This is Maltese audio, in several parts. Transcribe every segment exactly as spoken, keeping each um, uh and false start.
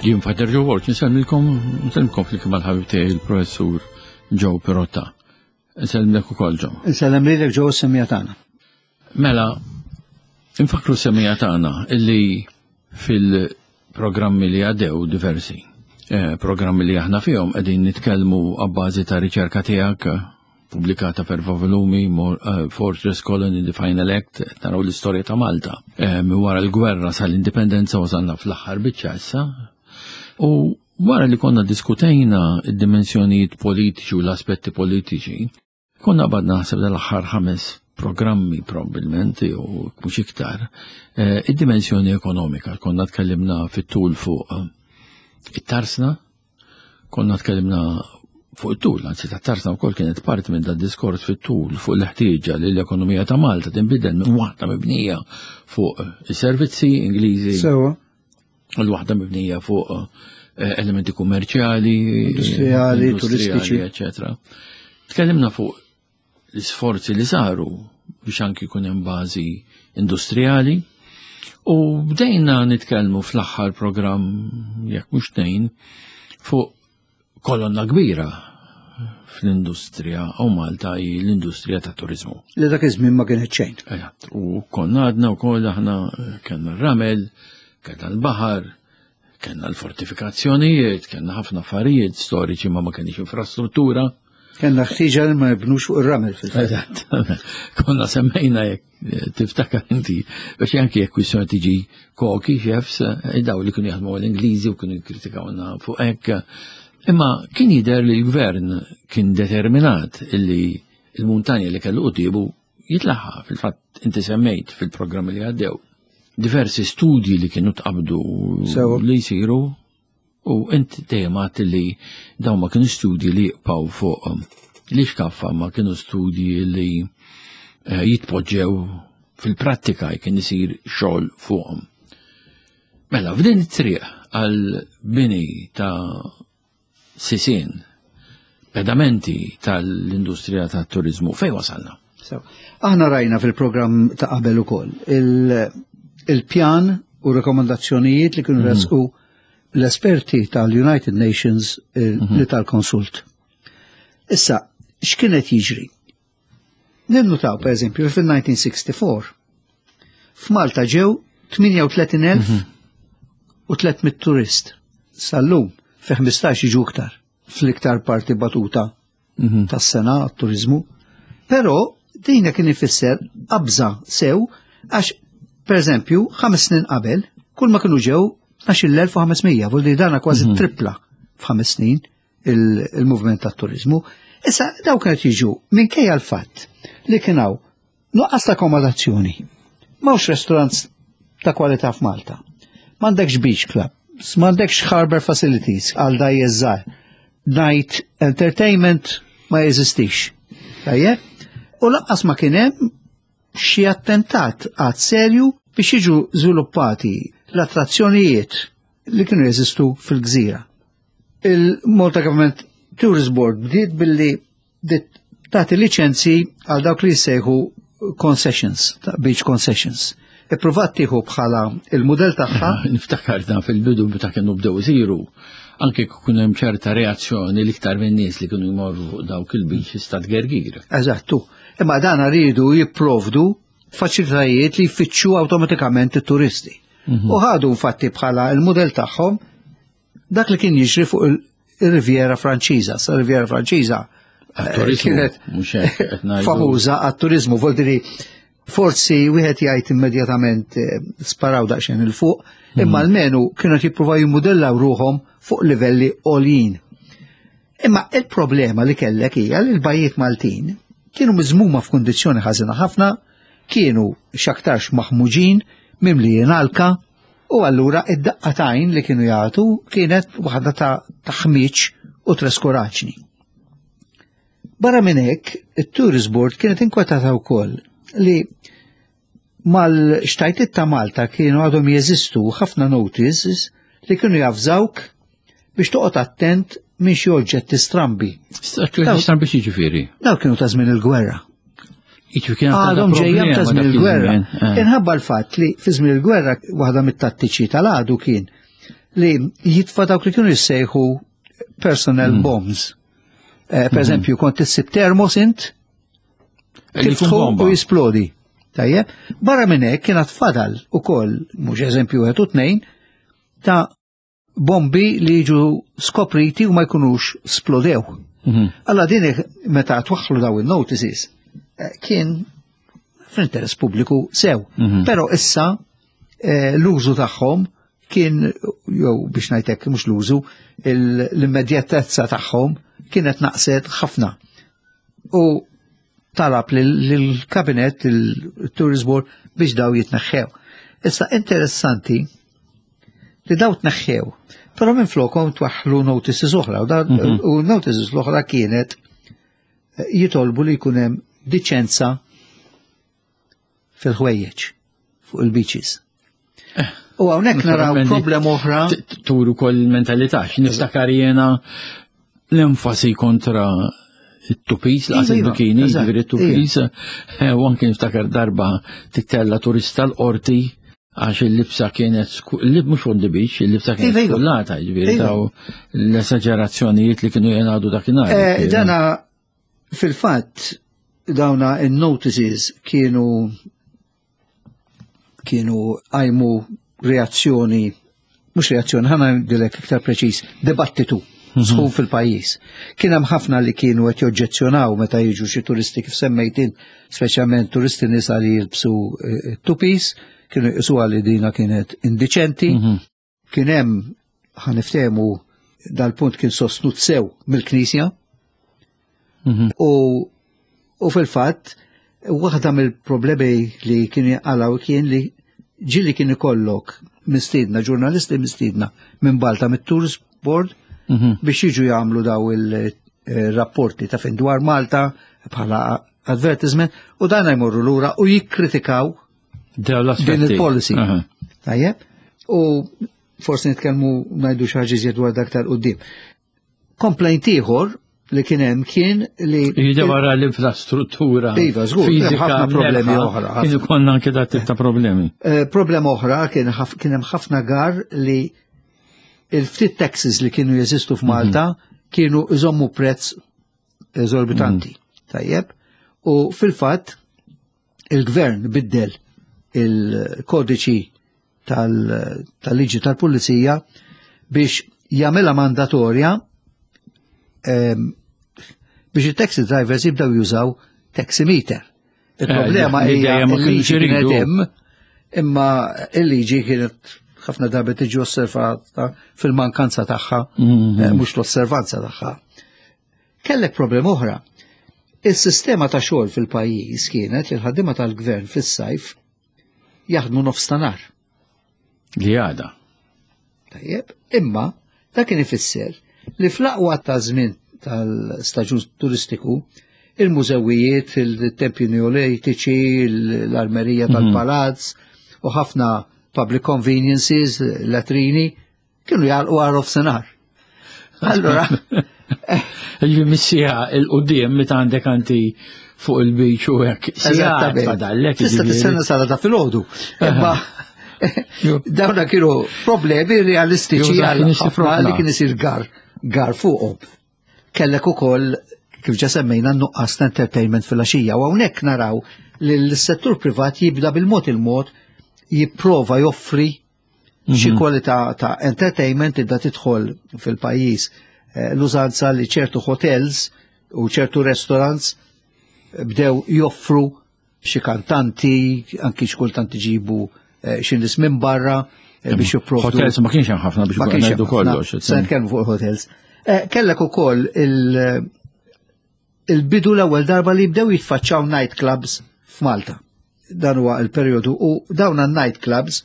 Jien Father Joe Borg, nsellmilkom, nsellmilkom flimkien mal-ħabib tiegħi il-professur Joe Pirotta. Nsellmlek ukoll Joe. Insellem lilek Joe semmiegħa tagħna. Mela, infakru semmiegħa tagħna illi fil-programmi li għaddew diversi, eh, programmi li aħna fihom qegħdin nitkellmu abbażi ta' riċerka tiegħek pubblikata f'erba' volumi, eh, Fortress Colony, The Final Act, naraw l-istorja ta' Malta. Eh, wara l-gwerra sal-indipendenza wasalna fl-aħħar biċċa issa. U wara li konna diskutejna id-dimensjonijiet politiċi u l-aspetti politiċi, konna bdejna naħseb dal-aħħar ħames programmi probabbilment u mhux iktar, eh, id-dimensjoni ekonomika. Konna tkellimna fit-tul fuq it-tarsna, konna tkellimna fuq it-tul, anzi ta' tarsna wkoll kienet parti minn dan diskors fit-tul fuq l-ħtieġa li l-ekonomija ta' Malta tinbidel minn waħda mibnija fuq is-servizzi Ingliżi. Sewa. U l-waħda mibnija fuq eh, elementi kummerċjali, industrijali, turistiċi, eccetera. Tkellimna fuq l-isforzi li saru biex anki jkun hemm bażi industrijali u bdejna nitkellmu fl-aħħar programm jekk mhux tnejn fuq kolonna kbira fl-industrija u Malta hi l-industrija ta' turizmu. Li dak iż-żmien ma kienet xejn. Eżatt, u konna għadna wkoll aħna kellna r-ramel, kellna l-baħar, kellna l-fortifikazzjonijiet, kellna ħafna affarijiet storiċi ma ma kenniex infrastruttura. Kellna ħtieġa li ma nibnux fuq ir-ramel fil-fatt. Eżatt. Konna semmejna jekk tiftakar inti, biex anki jekk kwistjoni tiġi koki, chefs, daw li kienu jaħdmu l-Ingliżi u kienu jikkritikawna fuq hekk. Imma kien jidher li l-gvern kien determinat illi il-muntanja li kellu quddiemu jitlaħħa. Fil-fatt inti semmejt fil-programmi li għaddew diversi studji li kienu tqabdu li jsiru u inti dejjem għedt li dawn ma kienu studji li jibqgħu fuq li xkaffa ma kienu studji li eh, jitpoġġew fil-prattika kien isir xogħol fuqhom. Mela, f'din it-triq għal bini ta' sisien, pedamenti tal-industrija tat-turizmu, fej wasalna? So, aħna rajna fil-programm ta' qabel ukoll il-pjan u rekomendazzjonijiet li kienu resqu l-esperti tal-United Nations li tal-konsult. Issa, x'kienet jiġri? Ninnutaw, per eżempju, fil-elf disa' mija u sitta u sittin f'Malta ġew tmienja u tletin elf u tliet mitt turist. Sal-lum fi ħmistax jiġu iktar fl-iktar parti batuta tas-sena għat-turizmu. Però dina kien ifisser qabża sew għax per eżempju ħames snin qabel kull ma kienu ġew tnax-il elf u ħames mija, vuol dire dana kważi tripla f'ħames snin il-movement tat-turizmu. Issa daw kienet jiġu minkejja l-fatt li kien hawn nuqqas ta' akkomodazzjoni. M'hawnx restaurants ta' kwalità f'Malta. M'għandekx beach club, m'għandekx harbor facilities għal dgħajjes żgħar. Night entertainment ma jeżistix. Tajjeb? U lanqas ma kien hemm xi attentat għad serju biex jiġu żviluppati l-attrazzjonijiet li kienu jeżistu fil-gżira. Il-Malta Government Tourist Board bdiet billi bdiet tagħti liċenzi għal dawk li jissejħu concessions, beach concessions. Ippruvat tieħu bħala il-mudell tagħha. Niftakar dan fil-bidu meta kienu bdew isiru, anke kien hemm ċerta reazzjoni l-iktar minn nies li kienu jmorru fuq dawk il-beach ta' Gergir. Eżattu. Imma dan rridu jipprovdu faċilitajiet li jfittxu awtomatikament it-turisti. U ħadu infatti bħala il-mudell tagħhom dak li kien jiġri fuq il-Riviera Franċiża. Sa Riviera Franċiża eh, kienet famuża għat-turizmu, vuol dire forsi wieħed jgħid immedjatament eh, sparaw daqsxejn 'il fuq, imma almenu kienu jippruvaw jimmudellaw ruħhom fuq livelli għoljin. Imma il-problema li kellek hija li l-bajjiet Maltin kienu miżmuma f'kundizzjoni ħażina ħafna, kienu x'aktarx maħmuġin, mimlijin alka, u allura id-daqqa t'għajn li kienu jagħtu kienet waħda ta' taħmiċ u traskuraġni. Barra minn hekk, it-Tourist Board kienet inkwetata wkoll li mal-xtajtiet ta' Malta kienu għadhom jeżistu ħafna notices li kienu javżawk biex toqgħod attent minn xi oġġetti strambi. Strambi x'jiġifieri? Daw kienu ta' żmien il-gwerra. Għadhom ġejja ta' żmien il-gwerra. Eh. Inħabba l-fatt li fi żmien il-gwerra waħda mit-tattiċi tal-għadu kien li jitfa dawk li kienu jissejħu personal mm. bombs. Eh, per eżempju, kont issib termos int, tiftħu u jisplodi. Tajjeb, barra minn hekk kienet fadal ukoll, mhux eżempju wieħed u tnejn, ta' bombi li jiġu skopriti u ma jkunux splodew. Mhm. Alla din meta twaħħlu daw il-notices eh, kien fl-interess pubbliku sew. Mhm. Però issa eh, l-użu tagħhom kien, jew biex ngħidlek mhux l-użu, l-immedjatezza tagħhom kienet naqset ħafna. U talab lill-kabinet, il-Tourist Board, biex daw jitneħħew. Issa interessanti li daw tneħħew, però minn flokhom twaħħlu notices oħra, u mhm. u notices l-oħra kienet eh, jitolbu li jkun hemm diċenza fil-ħwejjeġ fuq il-beaches. Eh, u hawnhekk naraw problema oħra. Turu kol mentalità, niftakar jena l-enfasi kontra it-two-piece, laqas iva, il-bikini, ġifieri it-two-piece, eh, u anke niftakar darba tittella turista l-qorti għax il-libsa kienet, il-lib mhux on the beach, il-libsa kienet iva, iva. skullata, ġifieri daw l-esagerazzjonijiet li kienu jingħadu dakinhar. Eh, dana fil-fatt dawna il-notices kienu kienu għajmu reazzjoni, mhux reazzjoni, ħa ngħidlek iktar preċis, dibattitu mhm. sħun fil-pajjiż. Kien hemm ħafna li kienu qed joġġezzjonaw meta jiġu xi turisti kif semmejt int, speċjalment turisti nisa li jilbsu eh, two-piece, kienu jqisuha li dina kienet indiċenti. Mhm. Kien hemm, ħa niftehmu, dal-punt kien sostnut sew mill-Knisja. Mhm. U u fil-fatt waħda mill-problemi li kienu jaqalaw kien li ġieli kien ikollok mistiedna, ġurnalisti mistiedna minn Malta, mit-Tourist Board, mhm. biex jiġu jagħmlu daw il-rapporti ta' fin dwar Malta bħala advertisement u dan jmorru lura u jikkritikaw din il-policy. Tajjeb? U forsi nitkellmu, ngħidu xi ħaġa iżjed dwar dak tal-qudiem. Complaint ieħor li kien hemm kien li Jidher wara l-infrastruttura. Iva, żgur, hemm ħafna problemi oħra. Kien konna anke dat tip ta' problemi. Eh, problema oħra kien kien hemm ħafna gar li il-ftit taxis li kienu jeżistu f'Malta mhm. kienu iżommu prezz eżorbitanti. Mhm. Tajjeb? U fil-fatt il-gvern biddel il-kodiċi tal-liġi tal-pulizija biex jagħmilha mandatorja biex il-taxi drivers jibdaw jużaw taximeter. Il-problema eh, hija il-liġi kienet hemm, imma il-liġi kienet ħafna drabi tiġi osservata fil-mankanza tagħha, mhm. eh, mhux l-osservanza tagħha. Kellek problema oħra. Il-sistema ta' xogħol fil-pajjiż kienet li l-ħaddiema tal-gvern fis-sajf jaħdmu nofs ta' nhar. Li għada. Tajjeb, imma dak kien ifisser li fl-aqwa ta' żmien tal-staġun turistiku, il-mużewijiet, il-tempji neolitiċi, l-armerija mhm. tal-palazz u ħafna public conveniences, latrini, kienu jagħlqu għal nofsinhar. Allora, Ġifieri missija il-qudiem meta għandek anti fuq il-beach u hekk. Eżattament. Fadallek. Tista' tistenna sala ta' filgħodu. Imma dawna kienu problemi realistiċi għal ħafna li kien isir gar gar fuqhom. Kellek ukoll, kif ġa semmejna, nuqqas ta' entertainment fil-għaxija u hawnhekk naraw li l-settur privat jibda bil-mod il-mod jipprova joffri xi mhm. kwalità ta' entertainment. Tibda tidħol fil-pajjiż eh, l-użanza li ċertu hotels u ċertu restaurants bdew joffru xi kantanti, anki xi kultant iġibu eh, xi nies minn barra eh, biex jipprovdu. Hotels ma kienx hemm ħafna biex Ma kienx ngħidu hemm ħafna. kollox. Se nitkellmu fuq hotels. Eh, Kellek ukoll il- il-bidu l-ewwel darba li bdew jitfaċċaw night clubs f'Malta. Dan huwa il-perjodu u dawn night clubs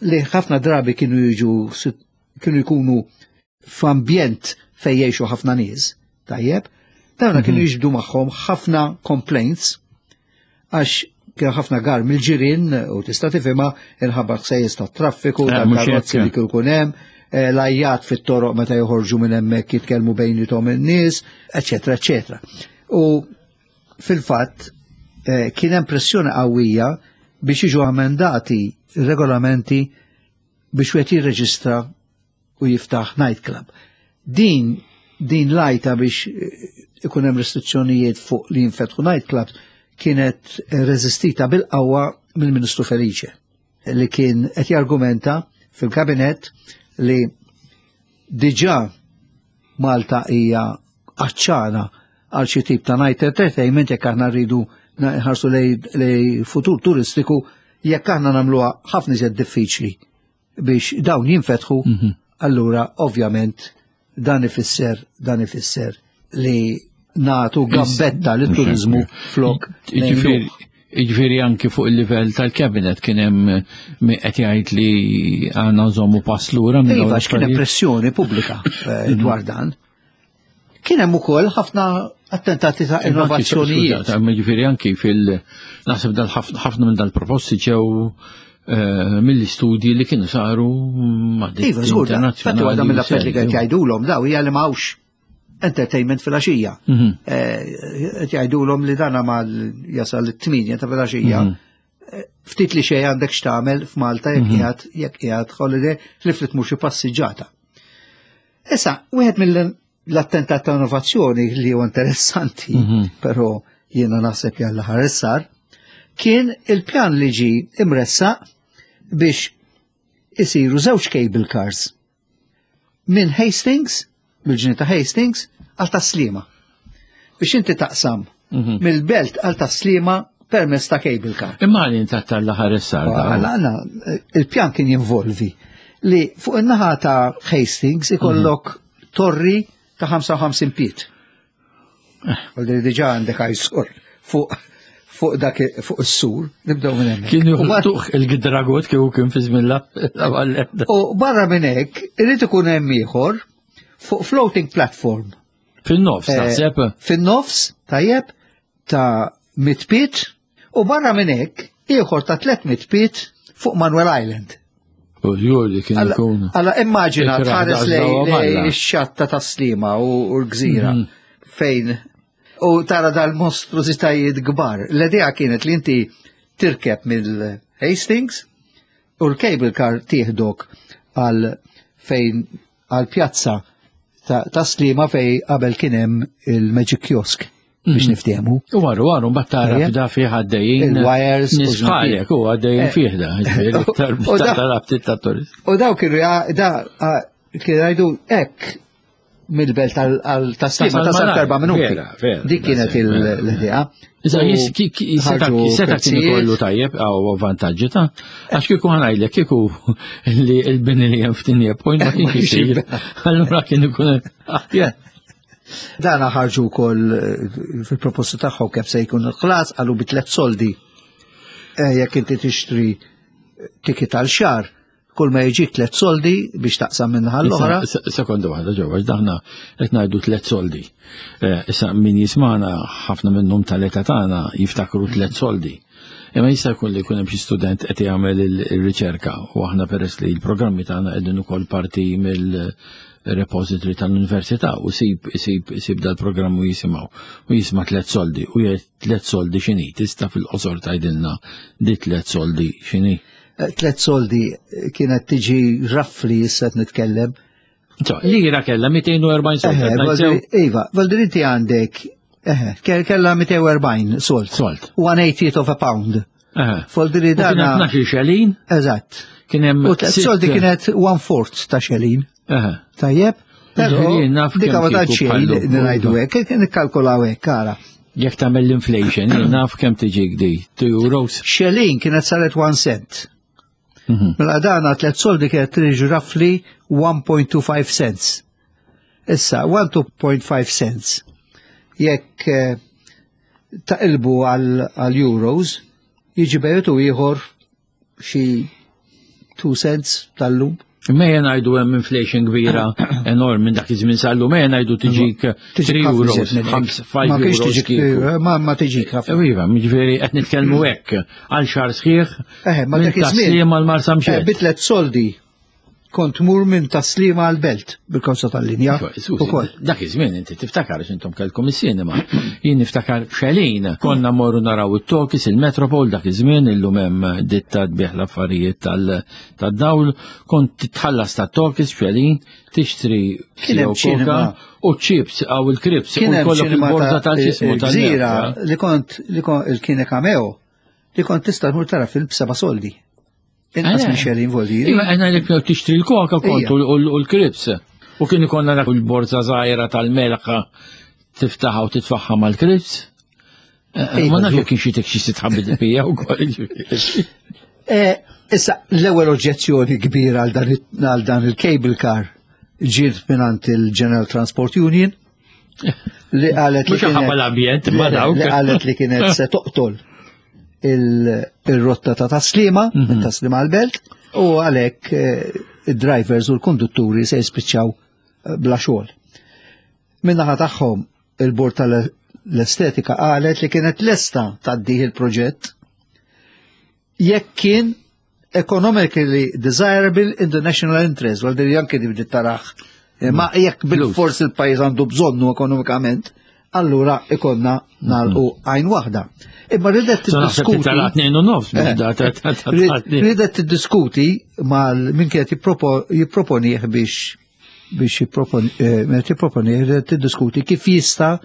li ħafna drabi kienu jiġu kienu jkunu f'ambjent fejn jgħixu ħafna nies, tajjeb, dawna kienu jiġbdu magħhom ħafna complaints għax kien ħafna gar mill-ġirien u tista' tifhimha inħabba ħsejjes tat-traffiku, Eh, mhux tal-karozzi hekk. li kien ikun hemm, eh, l-għajjat fit-toroq meta joħorġu minn hemmhekk jitkellmu bejniethom in-nies, eċetera, eċetera. U fil-fatt eh, kien hemm pressjoni qawwija biex jiġu amendati regolamenti biex wieħed jirreġistra u jiftaħ nightclub. Din din lajta biex ikun hemm restrizzjonijiet fuq li jinfetħu nightclubs kienet reżistita bil-qawwa mill-Ministru Felice, li kien qed jargumenta fil-kabinet li diġà Malta hija għatxana għal xi tip ta' night entertainment, jekk aħna rridu nħarsu lej futur turistiku, jekk aħna nagħmluha ħafna iżjed diffiċli biex dawn jinfetħu, allura ovvjament dan ifisser dan ifisser li nagħtu gambetta lit-turizmu flok. Jiġifieri anki fuq il-livell tal-kabinet kien hemm qed jgħid li għandna nżommu pass lura minn Iva, kien hemm pressjoni pubblika dwar dan. Kien hemm ukoll ħafna attentati ta' innovazzjonijiet. Jiġifieri anki fil naħseb dal ħafna minn dal-proposti ġew mill-istudji li kienu saru ma' Iva, żgur, infatti waħda mill-affarijiet li qed jgħidulhom daw hija li m'hawnx entertainment fil-għaxija. Qed jgħidulhom li dana ma jasal it-tminja ta' fil-għaxija. Ftit li xejn għandek x'tagħmel f'Malta jekk qiegħed jekk qiegħed holiday li ftit mhux xi passiġġata. Issa, wieħed mill-attentat ta' innovazzjoni li huwa interessanti, però jiena naħseb jalla ħares sar, kien il-pjan li ġi imressaq biex isiru żewġ cable cars minn Hastings, mill-ġnien ta' Hastings, għal Tas-Sliema. Biex inti taqsam mill-belt għal Tas-Sliema permezz ta' cable car. Imma għalin ta' tal-ħares sar. Għala, il-pjan kien jinvolvi li fuq in-naħa ta' Hastings ikollok torri ta' ħamsa u ħamsin pied. Għaldi diġà għandek għajsur fuq fuq dak fuq is-sur, nibdew minn hemmhekk. Kien juħtuħ il-gidragot kieku kien fi żmien la. U barra minn hekk irid ikun hemm ieħor fuq floating platform. Fin-nofs, taħseb? Fin-nofs, tajjeb, ta' mitt pied, u barra minn hekk ieħor ta' tliet mitt pied fuq Manuel Island. U li kien ikun. Alla immaġina tħares lej ix-xatta ta' Sliema u l-gżira fejn u tara dal-mostrużitajiet kbar. L-idea kienet li inti tirkeb mill-Hastings u l-cable car tieħdok għal fejn għal pjazza ta' Sliema fej qabel kien hemm il-Magic Kiosk biex niftehmu. U għarru, għarru, mbagħad tara f'da fih għaddejjin. Il-wires. Nies bħalek u għaddejjin fih da, tal-abtit ta' turist. U daw kienu da kienu jgħidu hekk mill-belt tal-Sliema ta' sar erba' minuti. Dik kienet l-idea. Seta kien ikollu tajjeb għaw vantaġġi ta' għax kieku ħa ngħidlek kieku li l-bini li hemm f'Tigné Point ma kienx isir. Allura kien ikun aħjar. Dana ħarġu wkoll fil-proposta tagħhom kif se jkun il-ħlas, qalu bi tliet soldi. Jekk inti tixtri ticket għal xahar, kull ma jiġik tliet soldi biex taqsam minn l-oħra. Sekonda waħda ġewwa, daħna qed ngħidu tliet soldi. Issa min jismana ħafna minnhom tal-età tagħna jiftakru tliet soldi. Imma jista' jkun li jkun hemm xi student qed jagħmel il-riċerka u aħna peress li l-programmi tagħna qegħdin ukoll parti mill repository tal-università u sib isib isib dal-programm u jisimgħu u jisma' tliet soldi u jgħid tliet soldi x'inhi, tista' fil-qosor tgħidilna di tliet soldi x'inhi. Tliet soldi kienet tiġi roughly issa nitkellem. Lira kella mitejn u erbgħin sold. Iva, Valdir inti għandek kella mitejn u erbgħin sold. Sold. One eightieth of a pound. Voldiri dana. Kien xelin. Eżatt. Kien hemm. U tliet soldi kienet one fourth ta' xelin. Tajjeb? Però dik ma tantx xejn ngħidu hekk, nikkalkulaw hekk ara. Jekk tagħmel l-inflation, naf kemm tiġik di, two euros. Xelin kienet saret one cent. Mela dana tliet soldi kienet tiġi roughly one point two five cents. Issa, one point five cents. Jekk taqilbu għal euros, jiġi bejtu ieħor xi two cents tal-lum. Imma jena ngħidu hemm inflation kbira enorm minn dak iż-żmien sal-lum, ejja ngħidu tiġik three euros, five Ma kienx euros tiġik, kieku. ma ma tiġik ħafna. Iva, jiġifieri qed nitkellmu hekk għal xahar sħiħ Eh, ma minn dak iż-żmien. Tas-Sliema l-Marsa Eh, Mxett. Bi tliet soldi Kont tmur minn Tas-Sliema għal-Belt bil-karozza tal-linja. Ukoll. Dak iż-żmien inti tiftakar għax intom kellkom is-sinema. Jien niftakar b'xelin. Konna morru naraw it-talkies, il-Metropol dak iż-żmien, illum hemm ditta tbigħ l-affarijiet tad-dawl, kont titħallas tat-talkies b'xelin, tixtri Kien hemm ċinema. u chips għaw il-crisps u Kien hemm jkollok ċinema il-borza ta' tal-ġismu Gżira li kont li kont il-kine Cameo li kont tista' tmur tara film b'seba' soldi. Inqas Eh. minn xelin voldi. Iva, għena li tixtri l-koka kont Ija. u u l-crisps. U kien ikonna dak il-borza żgħira tal-melħa tiftaħa u titfaħħa mal-crisps. Eh, Iva, Ma nafx ġu. jekk kien xi tek xi sitħabbi bija wkoll. Eh, Issa, l-ewwel oġġezzjoni kbira għal dan il- għal dan il-cable car ġiet mingħand il-General Transport Union li qalet li Mhux ħabba kienet- l-ambjent, ma li dawk. li qalet li kienet se toqtol il- il-rotta ta' Tas-Sliema, Mhm. minn Tas-Sliema għal-Belt, u għalhekk eh, id-drivers u l-kondutturi se jispiċċaw eh, bla xogħol. Min-naħa tagħhom il-bord tal-estetika qalet li kienet lesta tgħaddih il-proġett jekk kien economically desirable in the national interest, għal din anke di bdiet taraħ. Eh, Ma jekk bil-fors il-pajjiż għandu bżonnu ekonomikament, allura ikonna nagħlqu għajn waħda. Imma ridet So naħseb tiddiskuti. titala tnejn u nofs. Eh. da- ta- ta- ta- Rid- ta- Ridet tiddiskuti mal min kienet jippropo- jipproponih biex biex jipproponi eh, meta jipproponi ridet tiddiskuti kif jista'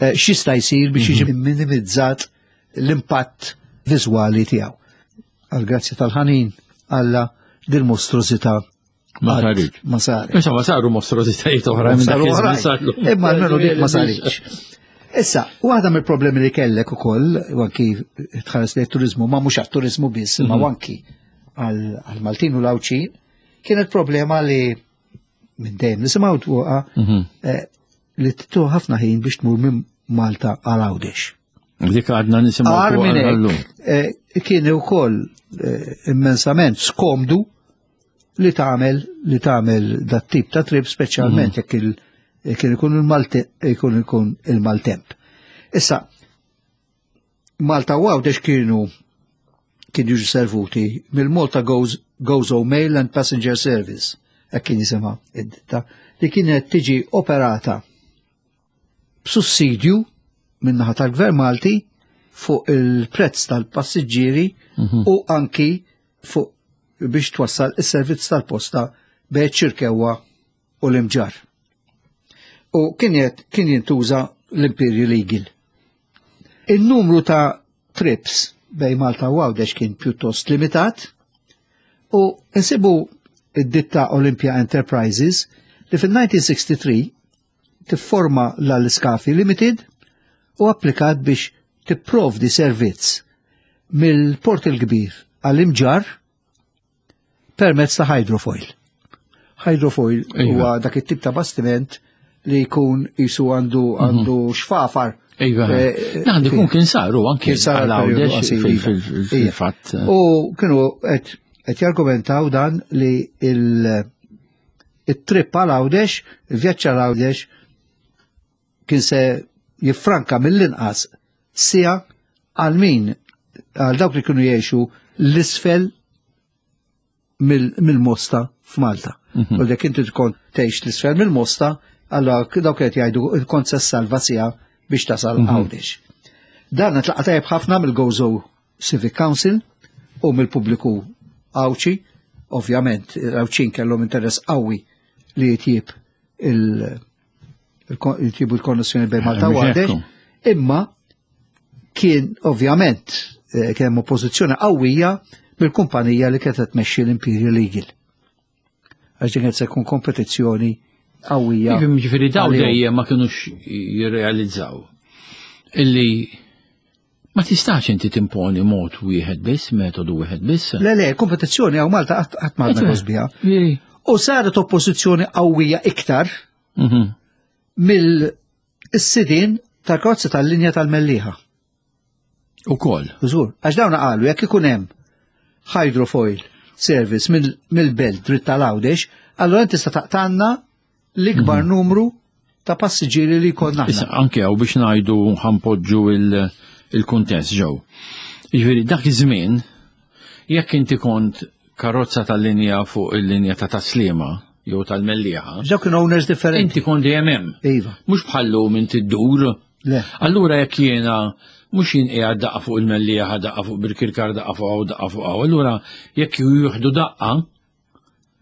eh, x'jista' jsir biex jiġi minimizzat l-impatt viżwali tiegħu. Għal grazzja tal-ħanin Alla dil-mostrużità Ma qatt saritx. Ma saret. Insomma, saru mostrużitajiet oħra minn dak Saru iż-żmien oħrajn. saru. Imma almenu dik ma saritx. Issa, waħda mill-problemi li kellek ukoll, u anki tħares li turizmu, ma mhux għat-turizmu biss, imma anki għal għal-Maltin u l-Għawdxin, kienet problema li minn dejjem nisimgħu fuqha Mhm. eh, li tieħu ħafna ħin biex tmur minn Malta għal Għawdex. Dik għadna nisimgħu Agħar fuqha minn għallum. hekk, eh, kien ukoll eh, immensament skomdu li tagħmel li tagħmel dat tip ta' trip speċjalment jekk il kien ikun il-Malte ikun ikun il-maltemp. Issa Malta u Għawdex kienu kienu jiġu servuti mill-Malta Goes, Gozo Mail and Passenger Service, hekk kien jisimha id-ditta, li kienet tiġi operata b'sussidju min-naħa tal-Gvern Malti fuq il-prezz tal-passiġġieri u anki fuq biex twassal is-servizz tal-posta bejn Ċirkewwa u l-Imġar. U kien jett- kien jintuża l-Imperial Eagle. Il-numru ta' trips bejn Malta u Għawdex kien pjuttost limitat u nsibu id-ditta Olympia Enterprises li fil-elf disa' mija u tlieta u sittin tifforma l-Scafi Limited u applikat biex tipprovdi servizz mill-Port il-Kbir għall-Imġar permezz ta' hydrofoil. Hydrofoil Iva. huwa dak it-tip ta' bastiment li jkun jisu għandu għandu xfafar. Iva. Eh, Għandi kun kien saru anki Kien sar għal periodu Għawdex qasir, fil- iva. fil- Iva. fil-fatt. U kienu qed qed jargumentaw dan li il- il-trip għal Għawdex, il-vjaġġ għal Għawdex kien se jiffranka mill-inqas siegħa għal min għal dawk li kienu jgħixu l-isfel mill- mill-Mosta f'Malta. U dak inti tkun tgħix l-isfel mill-Mosta, allora dawk qed jgħidu kont se salva siegħa biex tasal Għawdex. Dan tlaqa tajjeb ħafna mill-Gozo Civic Council u mill-pubbliku Għawdxi, ovvjament, l-Għawdxin kellhom interess qawwi li jitjib il- il- jitjibu l-konnessjoni bejn Malta u Mhux Għawdex, hekk. imma kien ovvjament eh, kien hemm oppożizzjoni qawwija mill-kumpanija li kienet tmexxi l-Imperial Eagle. Għax din kienet se jkun kompetizzjoni qawwija. Ġifieri ġifieri daw għalihom. dejjem ma kinux jirrealizzaw illi ma tistax inti timponi mod wieħed biss, metodu wieħed biss. Le, le, kompetizzjoni hawn Malta qatt qatt ma għadna biha. Ġifieri, U saret oppożizzjoni qawwija iktar mhm. mill-sidin tal-karozza tal-linja tal-Mellieħa. Ukoll. Żgur, għax dawn qalu jekk ikun hemm hydrofoil service mill- mill-Belt dritt tal-Għawdex, allura inti tista' taqtanna l-ikbar numru ta' passiġġieri li jkollna Issa, aħna. anke hawn biex ngħidu ħa npoġġu il- il-kuntest ġew. Jiġifieri dak iż-żmien jekk inti kont karozza tal-linja fuq il-linja ta' Taslima jew tal-Mellieħa. Ġaw kienu owners differenti. Inti kont dejjem hemm. Iva. Mhux bħallum inti ddur. Le. Allura jekk jiena mhux jien qiegħed daqqa fuq il-Mellieħa, daqqa fuq Birkirkar, daqqa fuq hawn, daqqa fuq hawn. Allura jekk jieħdu daqqa,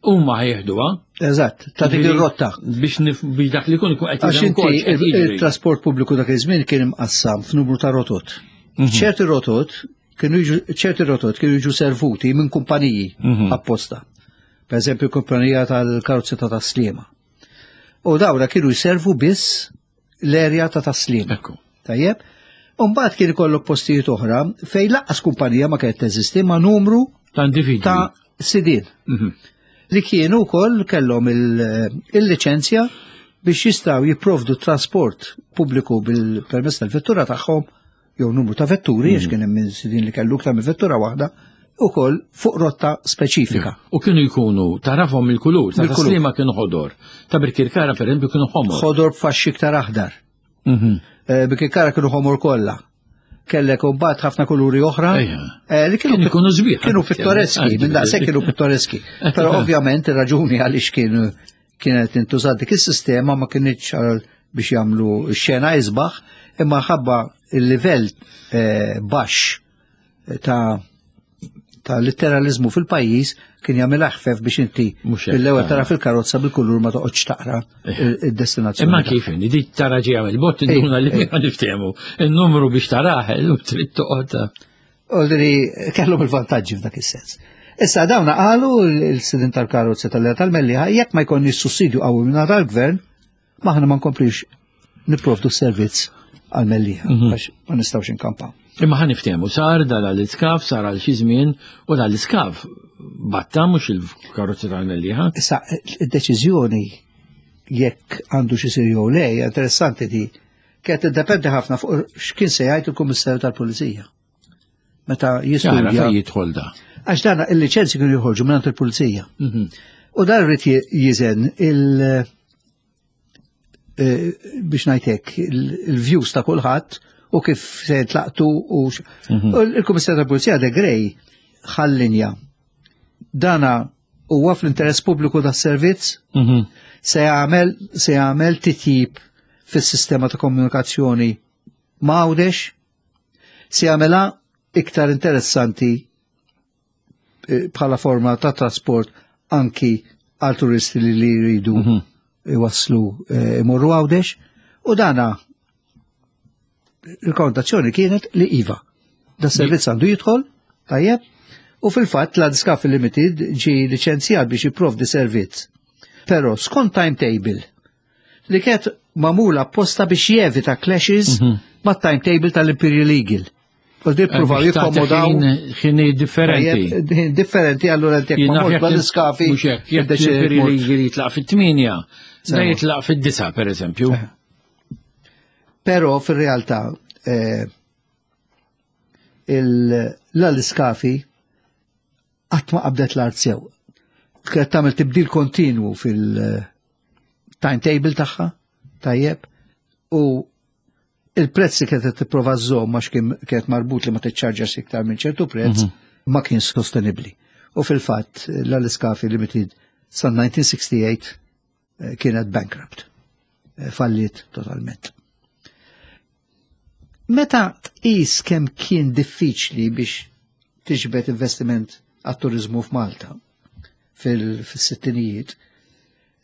huma ħa jeħduha. Eżatt, ta' dik ir-rotta. Biex nif- biex dak li jkun ikun qed Għax jifhem inti ukoll x'qed jiġri. il-trasport pubbliku dak iż-żmien kien imqassam f'numru ta' rotot. Mhm. ċerti rotot kienu jiġu ċerti rotot kienu jiġu servuti minn kumpaniji Mhm. apposta. Per eżempju, kumpanija tal-karozzi ta' Taslima. U dawra kienu jservu biss l-erja ta' Taslima. Ekku. Tajjeb? Umbagħad kien ikollok postijiet oħra fejn lanqas kumpanija ma kienet teżisti ma' numru Ta' individwi. ta' sidien Mhm. li kienu wkoll kellhom il- il-liċenzja biex jistgħu jipprovdu trasport pubbliku bil-permess tal-vettura tagħhom jew numru ta' vetturi, għax kien hemm min sidien li kellu iktar minn vettura waħda, ukoll fuq rotta speċifika. U kienu jkunu tarafhom il-kulur, ta' Bil-kulur. Taslima kienu ħodor, ta' Birkirkara per eżempju kienu ħomor. Ħodor b'faxxi iktar aħdar. Mhm. Eh, Birkirkara kienu ħomor kollha. Kellek imbagħad ħafna kuluri oħra. Ejja. eh, li Kienu jkunu sbieħ. Kienu pittoreski, minn daqshekk kienu pittoreski. Però ovvjament ir-raġuni għaliex kienu kienet intużat dik is-sistema ma kienx għal biex jagħmlu xena isbaħ, imma ħabba il-livell eh, baxx ta' ta' litteralizmu fil-pajjiż kien jagħmel aħfef biex inti Mhux hekk, bil-ewwel ah. tara fil-karozza bil-kulur ma toqgħodx taqra id-destinazzjoni. Imma kif inni, di tara ġejja mill-bogħod induna li Ej, ma niftehmu. Il-numru biex tarah, illum trid toqgħod. Olri kellhom il-vantaġġi f'dak is-sens. Issa dawna qalu il-sidin tal-karozza tal-Mellieħa jekk ma jkollniex sussidju qawwi minn tal-gvern, maħna ma nkomplix nipprovdu servizz għal-Mellieħa, Mhm. għax ma nistgħux inkampaw. Imma ħa niftehmu, sar dal-iskaf, sar għal xi żmien u dal-iskaf batta mhux il-karozza tal-Mellieħa. Issa, id-deċiżjoni jekk għandu xi jsir jew le, hija interessanti di, kienet tiddependi ħafna fuq x'kien se jgħid il-Kummissarju tal-Pulizija. Meta Jara jistudja. fejn jidħol da. Għax dan il-liċenzji kienu joħorġu minn il-Pulizija. Mhm. U dan rrid jiżen il- eh, biex ngħidlek il-views ta' kulħadd u kif se tlaqtu u x- Mhm. u il-Kummissarju tal-Pulizija de Grey ħallinja. Dana huwa fl-interess pubbliku das-servizz Mhm. se jagħmel se jagħmel titjib fis-sistema ta' komunikazzjoni ma' Għawdex, se jagħmilha iktar interessanti eh, bħala forma ta' trasport anki għal turisti li li jridu Mhm. iwasslu eh, imorru Għawdex u dana il-kontazzjoni kienet li iva. Da servizz għandu jidħol, tajjeb, u fil-fatt l-Aliscafi Limited ġi licenzjat biex jipprovdi servizz. Però skont timetable li kienet magħmula apposta biex jevita clashes Mhm. ma' timetable tal-Imperial Eagle. U di pruvaw Biex tagħti jikkomodaw ħin- ħini differenti. Tajjeb, ħin differenti allura inti jekk Jien naf ma jekk- l-iskafi. Mhux hekk, jekk l-Imperial Eagle jitlaq fit-tminja, da Sewa. jitlaq fid-disa per eżempju. Però fil-realtà eh, l-Aliscafi qatt ma qabdet l-art sew. Kienet tagħmel tibdil kontinwu fil-timetable tagħha, tajjeb, u il-prezz li kienet tipprova żżomm għax kien kienet marbut li ma tiċċarġax iktar minn ċertu prezz ma kien sostenibbli. U fil-fatt l-Aliscafi Limited sa elf disa' mija u sitta u sittin eh, kienet bankrupt. Eh, Falliet totalment. Meta tqis kemm kien diffiċli biex tiġbed investiment għat-turizmu f'Malta fil-sittinijiet,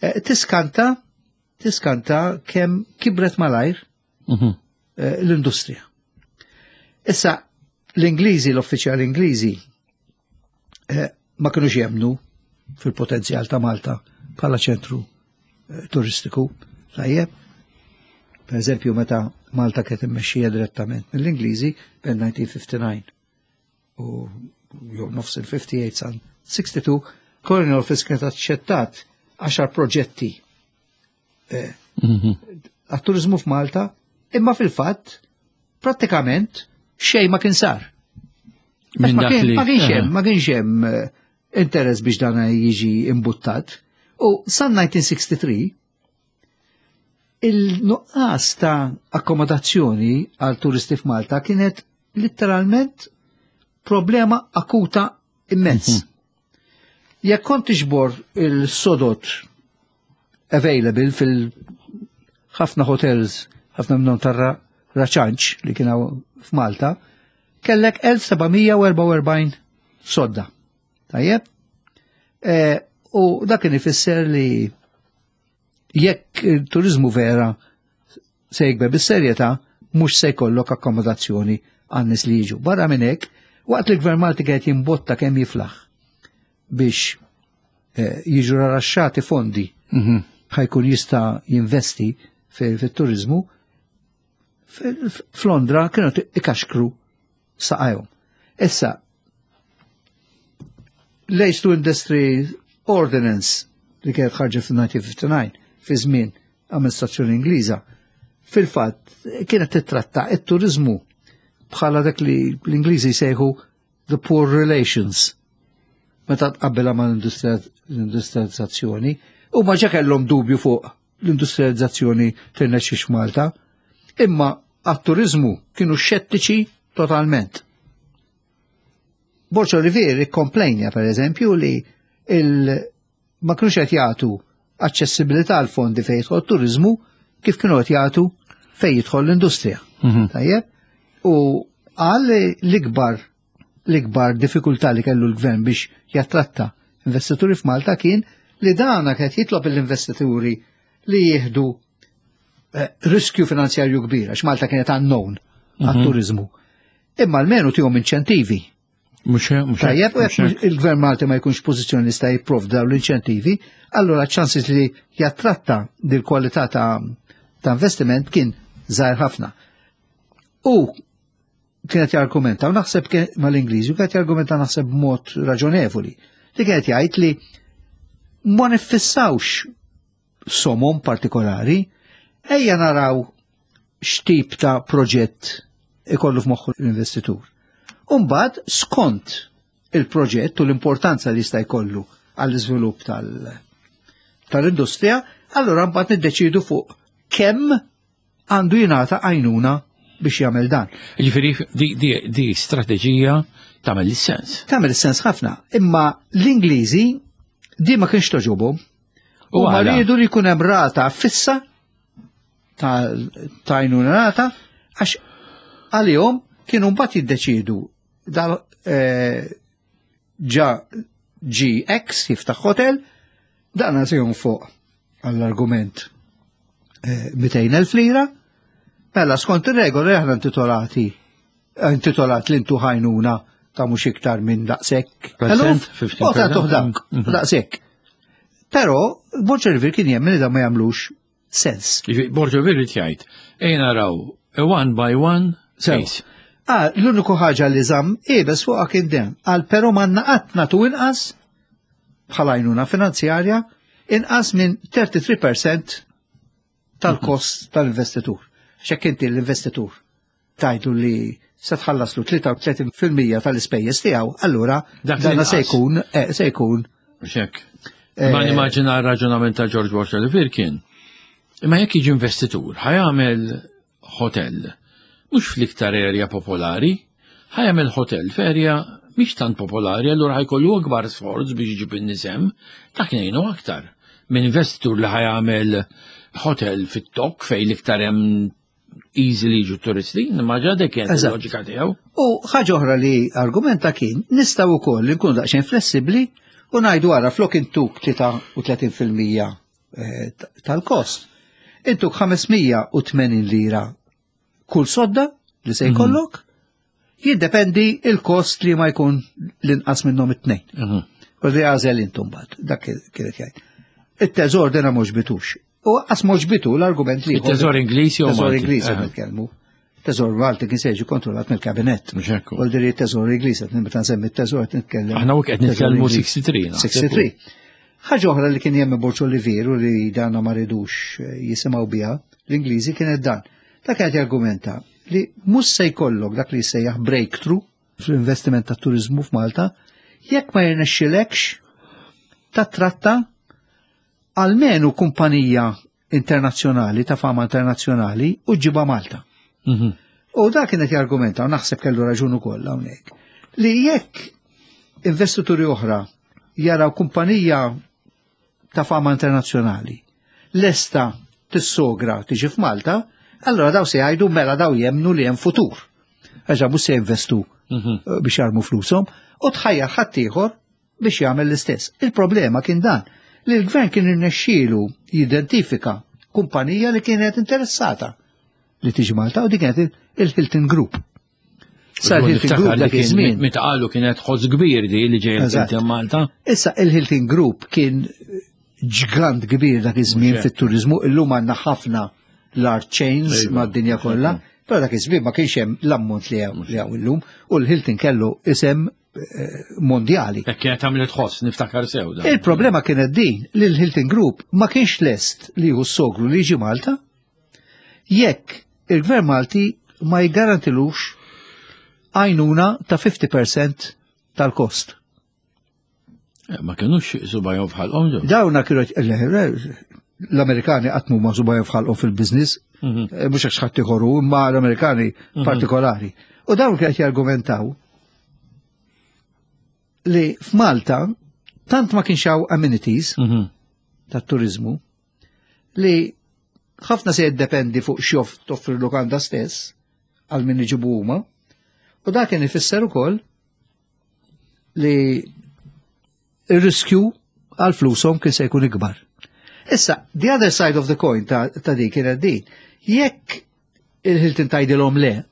eh, tiskanta tiskanta kemm kibret malajr Mhm. eh, l-industrija. Issa, l-Ingliżi, l-uffiċjali Ingliżi, eh, ma kienux jemnu fil-potenzjal ta' Malta bħala ċentru eh, turistiku. Tajjeb, per eżempju, meta Malta kienet immexxija direttament mill-Ingliżi bejn elf disa' mija u ħamsa u ħamsin u jew nofs il-ħamsa u ħamsin sa sitta u sittin, Colonial Office kienet aċċettat għaxar proġetti eh, Mhm. għat-turizmu f'Malta, imma fil-fatt prattikament xejn ma kien sar. Minn Ma dak kien- li- ma kienx hemm, eh. ma kienx hemm eh, interess biex dan jiġi imbuttat. U sa elf disa' mija u tlieta u sittin il-nuqqas ta' akkomodazzjoni għal turisti f'Malta kienet literalment problema akuta immens. Jekk kont tiġbor il-sodod available fil-ħafna hotels, ħafna minnhom tar-raċanċ li kienu f'Malta, kellek elf seba' mija u erbgħa u erbgħin sodda. Tajjeb? E, u dak kien ifisser li jekk il-turizmu vera se jikber bis-serjetà, mhux se jkollok akkomodazzjoni għan-nies li jiġu. Barra minn hekk, waqt li l-Gvern Malti qed jimbotta kemm jiflaħ biex eh, jiġu raraxxati fondi Mhm. ħa jkun jista' jinvesti fit-turizmu, f'Londra kienu ikaxkru saqajhom. Issa, l-Aids to Industry Ordinance li kienet ħarġet fil-elf disa' mija u ħamsa u ħamsin fi żmien amministrazzjoni Ingliża, fil-fatt kienet titratta it-turizmu bħala dak li l-Ingliżi jsejħu the poor relations meta tqabbilha ma' l-industrializzazzjoni, u ma ġa kellhom dubju fuq l-industrializzazzjoni tirnexxix Malta, imma għat-turizmu kienu xettiċi totalment. Borg Olivier ikkomplejnja, per eżempju, li il ma kienux qed jagħtu aċċessibilità għal fondi fejn jidħol turizmu kif kienu qed jagħtu fejn jidħol l-industrija. Mhm. Tajjeb? U għal l-ikbar l-ikbar diffikultà li kellu l-gvern biex jattratta investituri f'Malta kien li dana kien jitlob l-investituri li jieħdu eh, riskju finanzjarju kbir, għax Malta kienet unknown għat-turizmu. Imma almenu tihom inċentivi. Mhux mhux Tajjeb, u jekk il-gvern Malti ma jkunx pożizzjoni li jista' jipprovdi dawn l-inċentivi, allura ċansis li jattratta dil-kwalità ta' ta' investiment kien żgħir ħafna. U kienet jargumenta, u naħseb kien mal-Ingliżi, u kienet jargumenta naħseb b'mod raġonevoli, li kienet jgħid li ma nifissawx somom partikolari, ejja naraw x'tip ta' proġett ikollu f'moħħu l-investitur. Umbagħad, skont il-proġett u l-importanza li jista' jkollu għall-iżvilupp tal- tal-industrija, allura mbagħad niddeċidu fuq kemm għandu jingħata għajnuna biex jagħmel dan. Ġifieri di, di, di strateġija tagħmel is-sens. Tagħmel is-sens ħafna, imma l-Ingliżi di ma kienx togħġobhom. U U ma għala? riedu li jkun hemm rata fissa ta' ta' għajnuna rata, għax għalihom kienu mbagħad jiddeċidu dal eh, ġa G X jiftaħ hotel, dan se fuq għall-argument eh, mitejn elf lira, mela skont ir-regoli aħna intitolati intitolat li ntuh għajnuna ta' mhux iktar minn daqshekk. Percent, Eluf, fifteen percent. U ta' dak, Mhm. daqshekk. Però Borg Olivier kien jemmen li da ma jagħmlux sens. Ġifieri Borg Olivier jgħid, ejja naraw, a one by one Sew. case. Ah, l-uniku ħaġa li żamm iebes fuqha kien den. Għal però m'għandna qatt nagħtu inqas bħala għajnuna finanzjarja inqas minn tlieta u tletin fil-mija tal-kost tal-investitur. X'hekk inti l-investitur tajdu li se tħallaslu tlieta u tletin fil-mija tal-ispejjeż tiegħu, allura Dak dana se l-inqas. jkun eh, se jkun Mhux hekk. Ma eh, nimmaġina r-raġunament ta' George Borg Olivier kien. Imma jekk jiġi investitur, ħa jagħmel hotel, mhux fl-iktar area popolari, ħa jagħmel hotel f'area mhix tant popolari, allura ħa jkollu akbar sforz biex iġib in-nies hemm, dak ngħinu aktar. Minn investitur li ħa jagħmel hotel fit-tok fejn l-iktar hemm easily jiġu turisti, nimmaġina dik kienet Eżatt. il-loġika tiegħu. U ħaġa oħra li argumenta kien, nistgħu wkoll li nkunu daqsxejn flessibbli u ngħidu ara flok intuk tlieta u tletin fil-mija eh, tal-kost. Intuk ħames mija u tmenin lira kull sodda li se jkollok, jiddependi il-kost li ma jkun l-inqas minnhom it-tnejn. Mhm. U li għażel intum bad, dak kienet jgħid. Il-teżor dena m'għoġbitux. U qas m'għoġbitu l-argument li Il-teżor Ingliż jew Teżor Malti? Ingliż Eh. nitkellmu. Teżor Malti kien se jiġi kontrollat mill-kabinett. Mhux hekk. U l teżor Ingliż, qed meta nsemmi t-teżor qed nitkellem. Aħna u qed Teżor nitkellmu Ingliż. tlieta u sittin. naħseb. sittin. Ħaġa oħra li kien jemmen Borg Olivier u li dana ma ridux eh, jisimgħu biha, l-Ingliżi, kienet dan. Ta' kienet jargumenta li mhux se jkollok dak li jsejjaħ breakthrough fl-investiment ta' turizmu f'Malta jekk ma jirnexxilekx tattratta almenu kumpanija internazzjonali ta' fama internazzjonali u ġiba Malta. Mhm. U da kienet jargumenta, u naħseb kellu raġun ukoll hawnhekk, li jekk investituri oħra jaraw kumpanija ta' fama internazzjonali lesta tissogra tiġi f'Malta, allora daw se jgħidu mela daw jemnu li hemm futur. Għax mhux se jinvestu Mhm. biex jarmu flushom u tħajjar ħaddieħor biex jagħmel l-istess. Il-problema kien dan li l-gvern kien irnexxielu jidentifika kumpanija li kienet interessata li tiġi Malta u dik kienet il-Hilton Group. Sa l-Hilton Niftakar Group li dak kien- iż-żmien. Meta qalu kienet ħoss kbir di li ġej Eżatt. il-Hilton Malta. Issa il-Hilton Group kien ġgant kbir dak iż-żmien Mhux hekk. fit-turizmu, illum għandna ħafna large chains Iva, mad-dinja kollha, però dak iż-żmien ma kienx hemm l-ammont li hawn li hawn illum u l-Hilton kellu isem eh, mondjali. Hekk kienet għamlet ħoss, niftakar sew da. Il-problema kienet din li l-Hilton Group ma kienx lest li jieħu s-sogru li jiġi Malta jekk il-Gvern Malti ma jgarantilux għajnuna ta' fifty percent tal-kost. Eh, Ma kienux subgħajhom f'ħalqhom ġew. Dawna kienu l-Amerikani qatt ma subgħajhom f'ħalqhom fil-biznis, Mhm. eh, mhux għax ħadd ieħor, imma l-Amerikani partikolari. U dawn kienu jargumentaw li f'Malta tant ma kienx hawn amenities Mhm. tat-turizmu li ħafna se jiddependi fuq x'joff toffri lukanda stess għal min iġibu huma. U dak kien ifisser ukoll li ir-riskju għal flushom kien se jkun ikbar. Issa, the other side of the coin ta', ta di kienet din. Jekk il-Hilton tgħidilhom le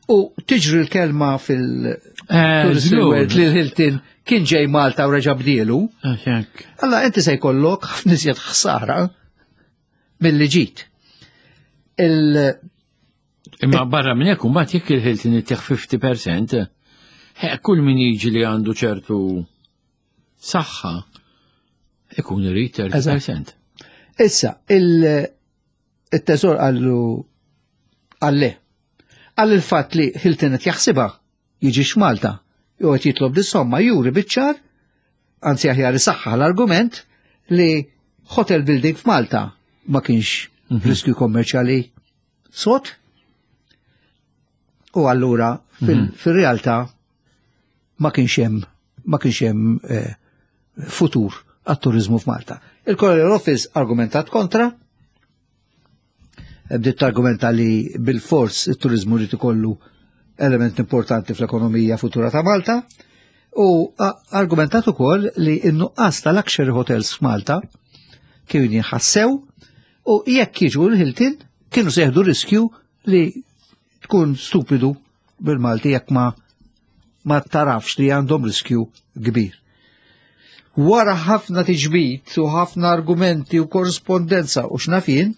u tiġri l-kelma fil- Eh, Tourist żgur. World li l-Hilton kien ġej Malta u reġa' bdielu, Eh, hekk. alla inti se jkollok ħafna iżjed ħsara mill-li ġit. Il- Imma barra minn hekk, mbagħad jekk il-Hilton ittieħ fifty percent, eh, kull min jiġi li għandu ċertu saħħa ikun irid thirty percent. Issa, il- il-teżor għallu għalle. Għall il-fat li Hilton qed jaħsibha jiġi Malta, jew qed jitlob dis-somma juri biċ-ċar, anzi aħjar isaħħa l-argument li hotel building f'Malta ma kienx riskju kommerċjali sod. U allura fil- fil-realtà ma kienx hemm ma kienx hemm eh, futur għat-turizmu f'Malta. Il-Colonial Office argumentat kontra, bdiet argumenta li bil-fors il-turizmu li ikollu element importanti fl-ekonomija futura ta' Malta u a- argumentat ukoll li n-nuqqas ta' luxury hotels f'Malta kienu jinħassew u jekk jiġu l-Hilton kienu se jieħdu riskju li tkun stupidu bil-Malti jekk ma ma tarafx li għandhom riskju kbir. Wara ħafna tiġbit u ħafna argumenti u korrespondenza u x'naf jien,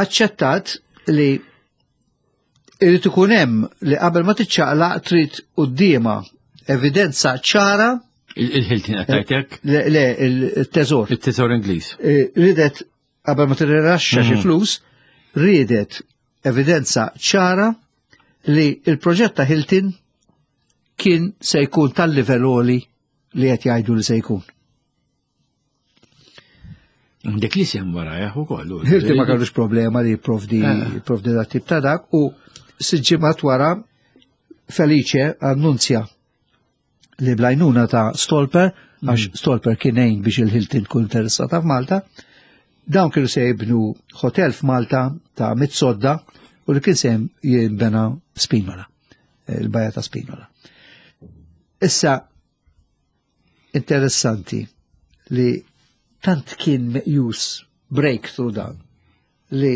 aċċettat li irid ikun hemm li qabel ma tiċċaqlaq trid quddiema evidenza ċara. Il-Hilton qed tgħidlek? Le, le, il-teżor. Il-Teżor Ingliż. Eh, ridet qabel ma tirrilaxxa xi flus, ridet evidenza ċara li il-proġett ta' Hilton kien se jkun tal-livell għoli li qed jgħidu li se jkun. Dik li sem wara jah ukoll. Hilton ma kellux problema li jipprovdi Eh. jipprovdi dat tip ta' dak u sitt ġimgħat wara Felice annunzja li bl-għajnuna ta' Stolper, għax Stolper kien għin biex il-Hilton kun interessata f'Malta, dawn kienu se jibnu hotel f'Malta ta' mitt sodda u li kien se jinbena Spinola, il-bajja ta' Spinola. Issa, interessanti li tant kien meqjus breakthrough dan li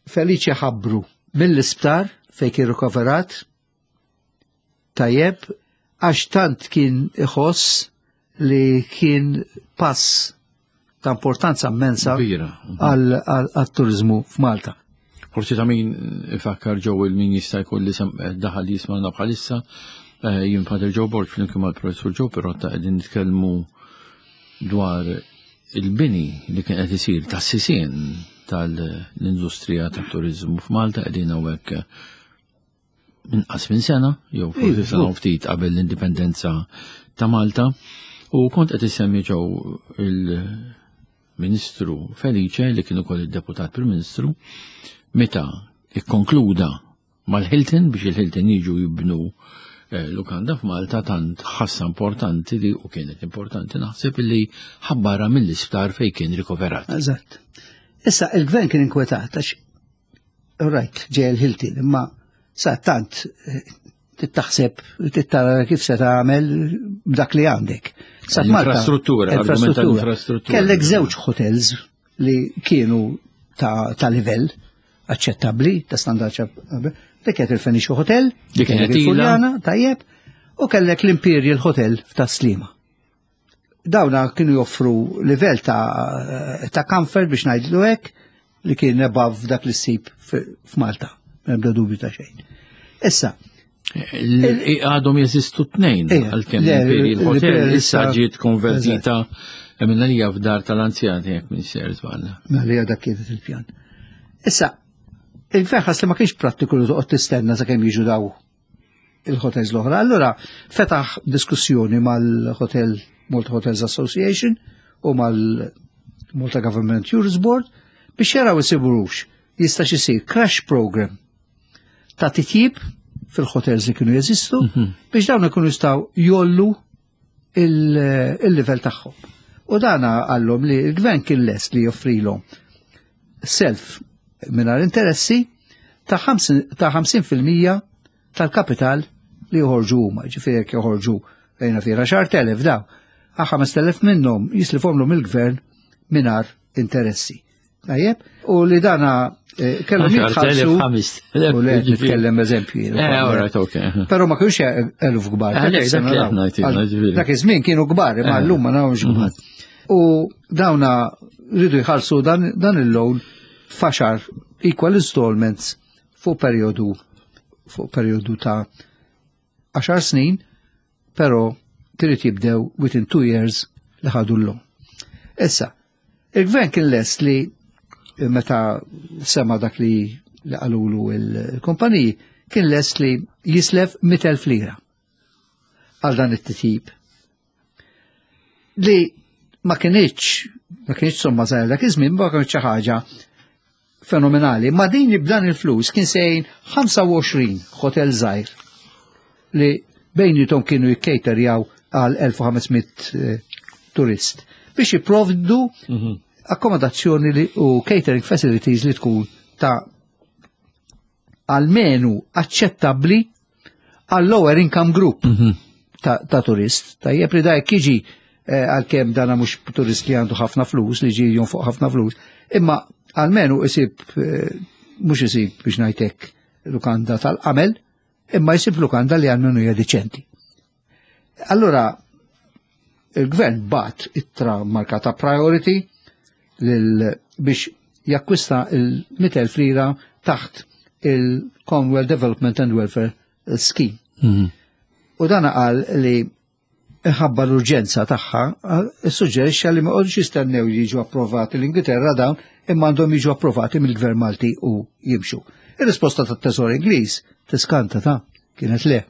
Felice ħabbru mill-isptar fej kien rikoverat tajjeb għax tant kien iħoss li kien pass ta' importanza immensa Kbira. għal-turizmu f'Malta. Forsi ta' min ifakkar ġew il-min jista' jkun li sem- daħal li jisma'na bħalissa, eh, jien Pater Joe Borg flimkien mal-Professur Joe Pirotta qegħdin nitkellmu dwar il-bini li kien qed isir tas-sisien tal-industrija tat-turizmu f'Malta. Qegħdin hawnhekk inqas minn sena, jew forsi Iva, sena u ftit qabel l-indipendenza ta' Malta. U kont qed isemmi ġew il-Ministru Felice li kien ukoll id-deputat Prim Ministru meta ikkonkluda mal-Hilton biex il-Hilton jiġu jibnu eh, lukanda f'Malta tant ħassa importanti li u kienet importanti naħseb li ħabbara mill-isptar fejn kien rikoverat. Eżatt. Issa, il-gvern kien inkwetat, għax, right, ġej il-Hilton, imma sa tant eh, tittaħseb, tittara kif se tagħmel b'dak li għandek. Sa f'Malta- L-infrastruttura, argument tal-infrastruttura. Kellek żewġ hotels li kienu ta', ta' livell aċċettabbli, ta' standard aċċettabbli. Dik kienet il-Phoenicia Hotel, Dik kienet kellek il-Furjana, tajjeb, u kellek l-Imperial Hotel ta' Sliema. Dawna kienu joffru livell ta', ta' comfort biex ngħidlu hekk li kien above dak li ssib f- f'Malta, m'ebda dubju ta' xejn. Issa, Il- Għadhom jeżistu tnejn, Ija, għalkemm le, l-Imperial Hotel l-Imperial issa issa- ġiet konvertita minna li f'dar tal-anzjani jekk minn ser żball. Ma li dak kienet il-pjan. Issa, il-gvern ħass li ma kienx prattiku li toqgħod tistenna sakemm jiġu daw il-hotels l-oħra. Allura fetaħ diskussjoni mal-Hotel Malta Hotels Association u mal-Malta Government Tourist Board biex jaraw isiburux jista' isir crash program ta' titjib fil-hotels li kienu jeżistu biex dawn ikunu jistgħu jgħollu il- il-livell tagħhom. U dana qallhom li l-gvern kien lest li joffrilhom self mingħajr interessi ta' ħamsin ta' ħamsin fil-mija tal-kapital li joħorġu huma, ġifieri jekk joħorġu ejna fira għaxart elef daw, għal ħamest elef minnhom jislifhomlhom il-gvern mingħajr interessi. Tajjeb, u li dana eh, kellhom jitħallsu. ħamest elef. U le, nitkellem eżempju. Eh, all right, okay. Pero ma kienux eluf kbar. Eh, le, dak li aħna jtina, ġifieri. Dak iż-żmien kienu kbar, imma Eh. llum ma nafux kbar. U dawna rridu jħallsu dan, dan il-loan f'għaxar equal installments fuq periodu fuq periodu ta' għaxar snin, pero trid jibdew within two years li ħadu l-loan. Issa, il-gvern kien lest li meta sema dak li li qalulu il-kumpaniji, kien lest li jislef mitt elf lira għal dan it-titjib. Li ma kienx, ma kienx somma żgħira dak iż-żmien, ma kienx xi ħaġa fenomenali. Ma din b'dan il-flus kien sejn ħamsa u għoxrin hotel żgħir li bejnietom kienu jikkejterjaw għal elf u ħames mitt eh, turist biex jipprovdu akkomodazzjoni li, u catering facilities li tkun ta' almenu aċċettabbli għal lower income group ta', ta' turist. Tajjeb li da jekk jiġi eh, għalkemm dana mhux turist li għandu ħafna flus, li ġi fuq ħafna flus, imma almenu isib, eh, mhux isib biex ngħidlek lukanda tal-qamel, imma jisib lukanda li almenu hija diċenti. Allora, il-gvern bagħat ittra markata priority lil biex jakkwista il-mitt elf lira taħt il-Commonwealth Development and Welfare Scheme. U dan qal li ħabba l-urġenza tagħha, suġġerixxa li ma qogħdux jistennew li jiġu approvati l-Ingilterra dawn, imma għandhom jiġu approvati mill-Gvern Malti u jimxu. Ir-risposta tat-Teżor Ingliż tiskanta ta' kienet le.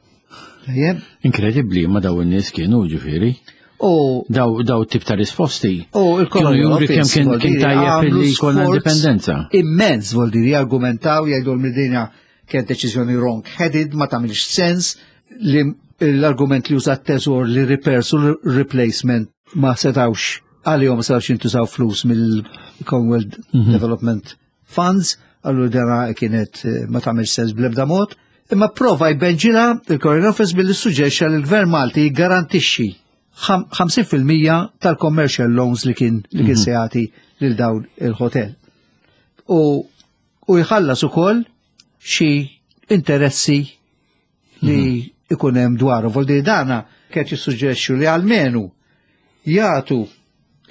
Tajjeb? Inkredibbli, ma daw in-nies kienu ġifieri. U Daw daw tip ta' risposti. U Kienu il-Colonial juri kemm Office, kien vuol kien dire, tajjeb għamlu li jkollna sforz indipendenza. Immens, vuol dire, argumentaw, jgħidu l-midinja kien deċiżjoni wrong headed, ma tagħmilx sens li l-argument li użat teżor li repairs u replacement ma setawx għalihom ma setawx jintużaw flus mill-Commonwealth Development Funds, għallu dana kienet eh, ma tagħmilx sens bl-ebda mod. Imma prova jbenġila il-Colonial Office billi suġġerixxa li l-Gvern Malti jgarantixxi ħam- ħamsin fil-mija tal-commercial loans li kien li kien se jagħti lil dawn il-hotel. U u jħallas ukoll xi interessi li ikun hemm dwaru. Vuol dire dana kien jissuġġerixxu li almenu jagħtu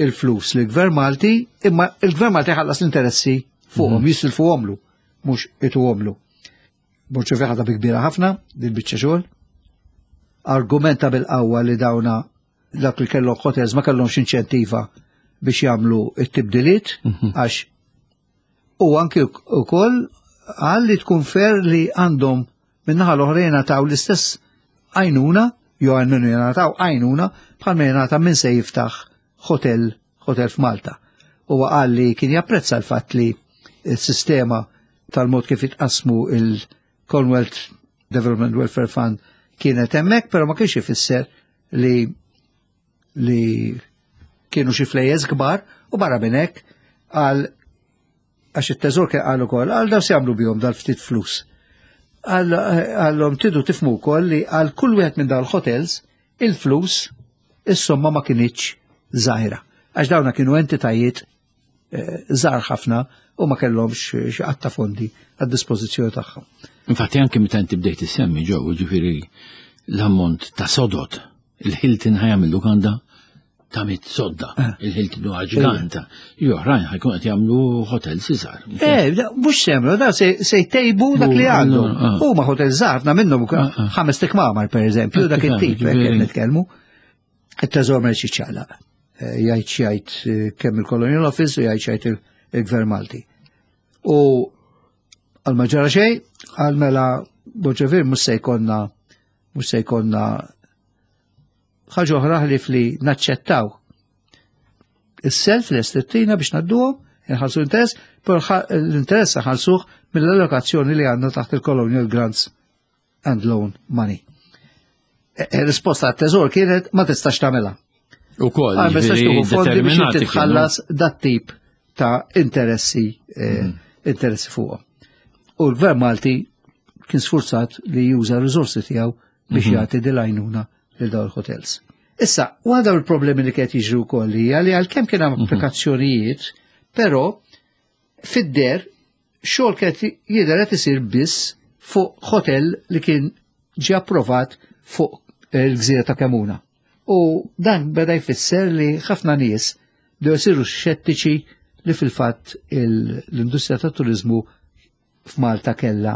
il-flus li gvern Malti, imma il-Gvern Malti ħallas l-interessi fuqhom, jisilfuhomlu, mhux ituhomlu. Borg ħadha bi kbira ħafna, din biċċa xogħol. Argumenta bil-qawwa li dawna dak li kellhom hotels ma kellhomx inċentiva biex jagħmlu it-tibdiliet għax u anki wkoll qal li tkun fair li għandhom min-naħa l-oħra jingħataw l-istess għajnuna, jew għalmenu jingħataw għajnuna bħalma jingħata minn se jiftaħ hotel, hotel f'Malta. U qal li kien japprezza l-fatt li s-sistema tal-mod kif jitqasmu il-Commonwealth Development Welfare Fund kienet hemmhekk, però ma kienx ifisser li li kienu xi flejjes kbar u barra minn hekk għal għax it-teżor kien qal ukoll għal daw se jagħmlu bihom dal-ftit flus. Għallhom tidu tifhmu wkoll li għal kull wieħed minn dal-hotels il-flus is-somma ma kinitx żgħira. Għax dawna kienu entitajiet żgħar ħafna u ma kellhomx xi qatta fondi għad-dispożizzjoni tagħhom. Infatti anke meta inti bdejt issemmi ġew, ġifieri l-ammont ta' sodod, il-Hilton ħa jagħmel lukanda ta' mitt sodda, il-Hilton huwa ġiganta. Oħrajn ħa jkun qed jagħmlu hotel iżgħar. Eh, mhux semlu, da se jtejbu dak li għandu. Huma hotel żgħar minnhom ħames tikmamar pereżempju, dak it-tip qed nitkellmu. It-teżor ma jiċċaqlaq. Jgħid jgħid kemm il-Colonial Office u jgħid jgħid il-Gvern Malti. U għal ma ġara xejn, għal mela Boġevir mhux se jkollna mhux se jkollna ħaġa oħra ħlief li naċċettaw is-self li estittina biex nadduhom, inħallsu interess, però l-interess ħalsuh mill-allokazzjoni li għandna taħt il-Colonial Grants and Loan Money. Risposta għat-teżor kienet ma tistax tagħmilha. U koll, ma tistax tieħu fondi biex titħallas dat tip ta' interessi interessi fuqhom. U l-Gvern Malti kien sfurzat li juża r-riżorsi tiegħu biex jagħti dil-għajnuna lil dawn il-hotels. Issa, waħda mill-problemi li kienet jiġri wkoll hija li għalkemm kien hemm applikazzjonijiet, però fid-der xogħol kienet jidher qed isir biss fuq hotel li kien ġie approvat fuq il-gżira ta' Kemuna. U dan beda jfisser li ħafna nies bdew isiru xettiċi li fil-fatt l-industrija tat-turiżmu f'Malta kella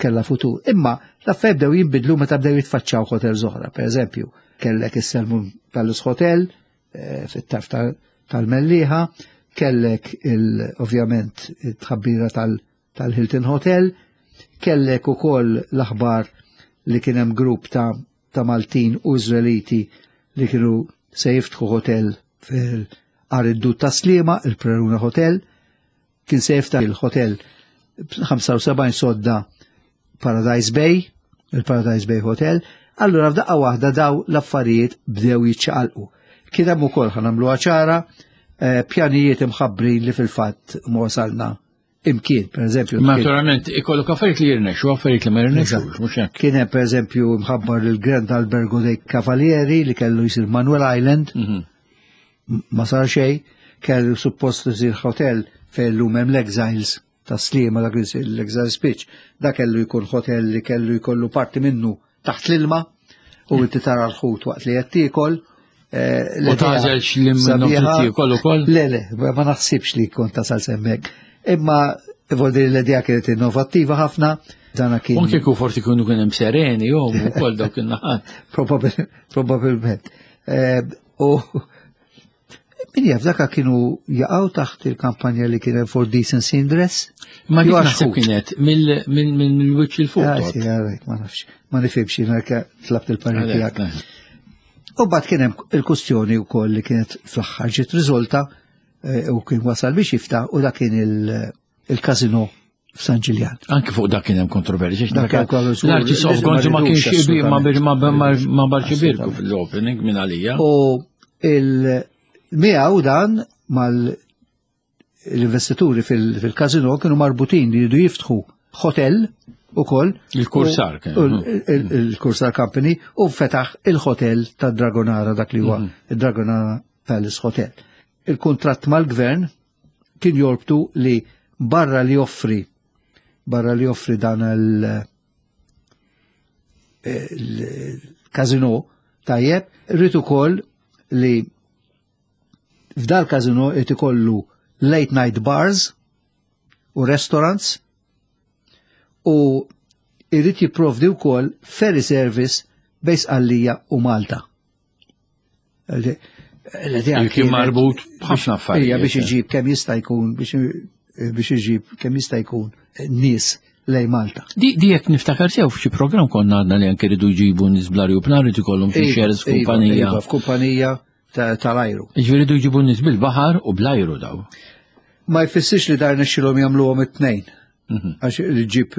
kella futur. Imma l-affarijiet bdew jinbidlu meta bdew jitfaċċaw hotels oħra. Per eżempju, kellek is-Selmun Palace Hotel fit-tarf tal-Mellieħa, kellek ovvjament it-tħabbira tal-Hilton Hotel, kellek ukoll l-aħbar li kien hemm grupp ta' ta' Maltin u Iżraeliti li kienu se jiftħu hotel fil-Għar id-Dud ta' Sliema, il-Preruna Hotel, kien se jiftaħ il-hotel ħamsa u sebgħin sodda Paradise Bay, il-Paradise Bay Hotel. Allura f'daqqa waħda daw l-affarijiet bdew jiċċaqalqu. Kien hemm ukoll ħa nagħmluha ċara pjanijiet imħabbrin li fil-fatt ma wasalna imkien, per eżempju. Naturalment, ikollok affarijiet li jirnexxu, affarijiet li ma jirnexxux, mhux hekk. Kien hemm pereżempju mħabbar il-Grand Albergo dei Cavalieri li kellu jsir Manuel Island, ma sar xejn, kellu suppost isir hotel fejn llum hemm l-Exiles ta' Sliema, dak l-Exiles Pitch, dak kellu jkun hotel li kellu jkollu parti minnu taħt l-ilma u inti tara l-ħut waqt li qed tiekol. U tażel x'li minnhom tiekol ukoll? Le, le, ma naħsibx li kont tasal semmek. Imma vuol dire l-idea kienet innovattiva ħafna. Dana kien. Anke kieku forsi kienu kien hemm sereni jew ukoll dawk in-naħat. Probabilment. U min jaf daka kienu jaqgħu taħt il-kampanja li kien hemm for decency in dress? Ma dik naħseb kienet mill-wiċċ il fuq. Ma nafx, ma nifhimx jiena tlabt il-parir tiegħek. U mbagħad kien hemm il-kustjoni wkoll li kienet fl-aħħar ġiet riżolta u kien wasal biex jiftaħ u dak kien il-kazino f'San Ġiljan. Anke fuq dak kien hemm kontroversja. L-Arċisqof Gonzi ma kienx ma barx ibirku fil-opening minn għalija. U il-miegħu dan mal-investituri fil-kazino kienu marbutin li jridu jiftħu hotel ukoll. Il-Kursar kien. Il-Kursar Company u fetaħ il-hotel ta' Dragonara, dak li huwa il-Dragonara Palace Hotel. Il-kontratt mal-gvern kien jorbtu li barra li joffri barra li joffri dan il-kazino tajjeb, rrid ukoll li f'dal kazino qed ikollu late night bars u restaurants u irrid jipprovdi wkoll ferry service bejn Sqallija u Malta. Kien marbut b'ħafna affarijiet. Ija biex iġib kemm jista' jkun biex iġib kemm jista' jkun nies lej Malta. Di jekk niftakar sew f'xi programm konna għadna li anke ridu jġibu nies bl-ajruplan rid ikollhom xi shares f'kumpanija. F'kumpanija tal-ajru. Jiġifieri jridu jġibu nies bil-baħar u bl-ajru daw. Ma jfissirx li dar nexxilhom jagħmluhom it-tnejn. Għax li ġib